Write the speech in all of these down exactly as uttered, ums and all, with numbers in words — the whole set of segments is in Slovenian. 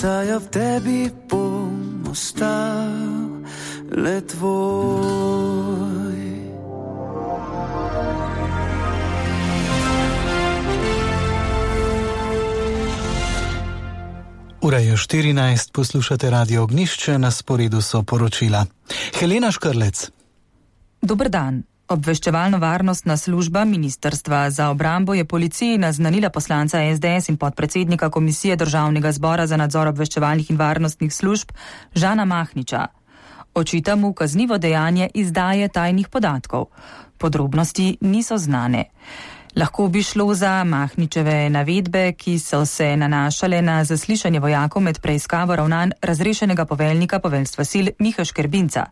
saj v tebi bom ostal le tvoj. Ura je štirinajst, poslušate Radio Ognjišče, na sporedu so poročila. Helena Škrlec. Dober dan. Obveščevalno-varnostna služba Ministrstva za obrambo je policiji naznanila poslanca es de es in podpredsednika Komisije Državnega zbora za nadzor obveščevalnih in varnostnih služb Žana Mahniča. Očita mu kaznivo dejanje izdaje tajnih podatkov. Podrobnosti niso znane. Lahko bi šlo za Mahničeve navedbe, ki so se nanašale na zaslišanje vojakov med preiskavo ravnanj razrešenega poveljnika poveljstva sil Miha Škerbinca.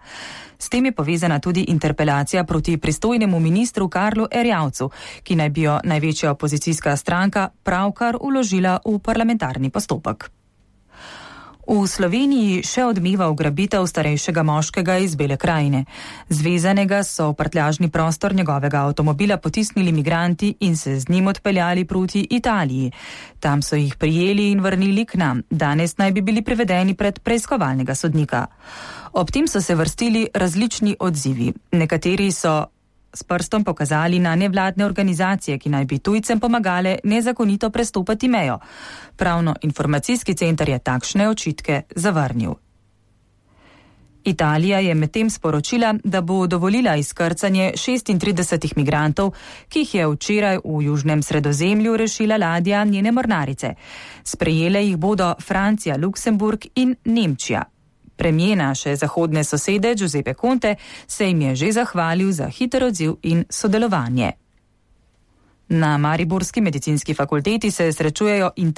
S tem je povezana tudi interpelacija proti pristojnemu ministru Karlu Erjavcu, ki naj bi jo največja opozicijska stranka pravkar vložila v parlamentarni postopek. V Sloveniji še odmeva ugrabitev starejšega moškega iz Bele krajine. Zvezanega so v prtljažni prostor njegovega avtomobila potisnili migranti in se z njim odpeljali proti Italiji. Tam so jih prijeli in vrnili k nam. Danes naj bi bili privedeni pred preiskovalnega sodnika. Ob tem so se vrstili različni odzivi. Nekateri so s prstom pokazali na nevladne organizacije, ki naj bi tujcem pomagale nezakonito prestopati mejo. Pravno-informacijski center je takšne očitke zavrnil. Italija je medtem sporočila, da bo dovolila izkrcanje šestintridesetih migrantov, ki jih je včeraj v južnem Sredozemlju rešila ladja njene mornarice. Sprejele jih bodo Francija, Luksemburg in Nemčija. Premijer naše zahodne sosede Giuseppe Conte se jim je že zahvalil za hiter odziv in sodelovanje. Na Mariborski medicinski fakulteti se srečujejo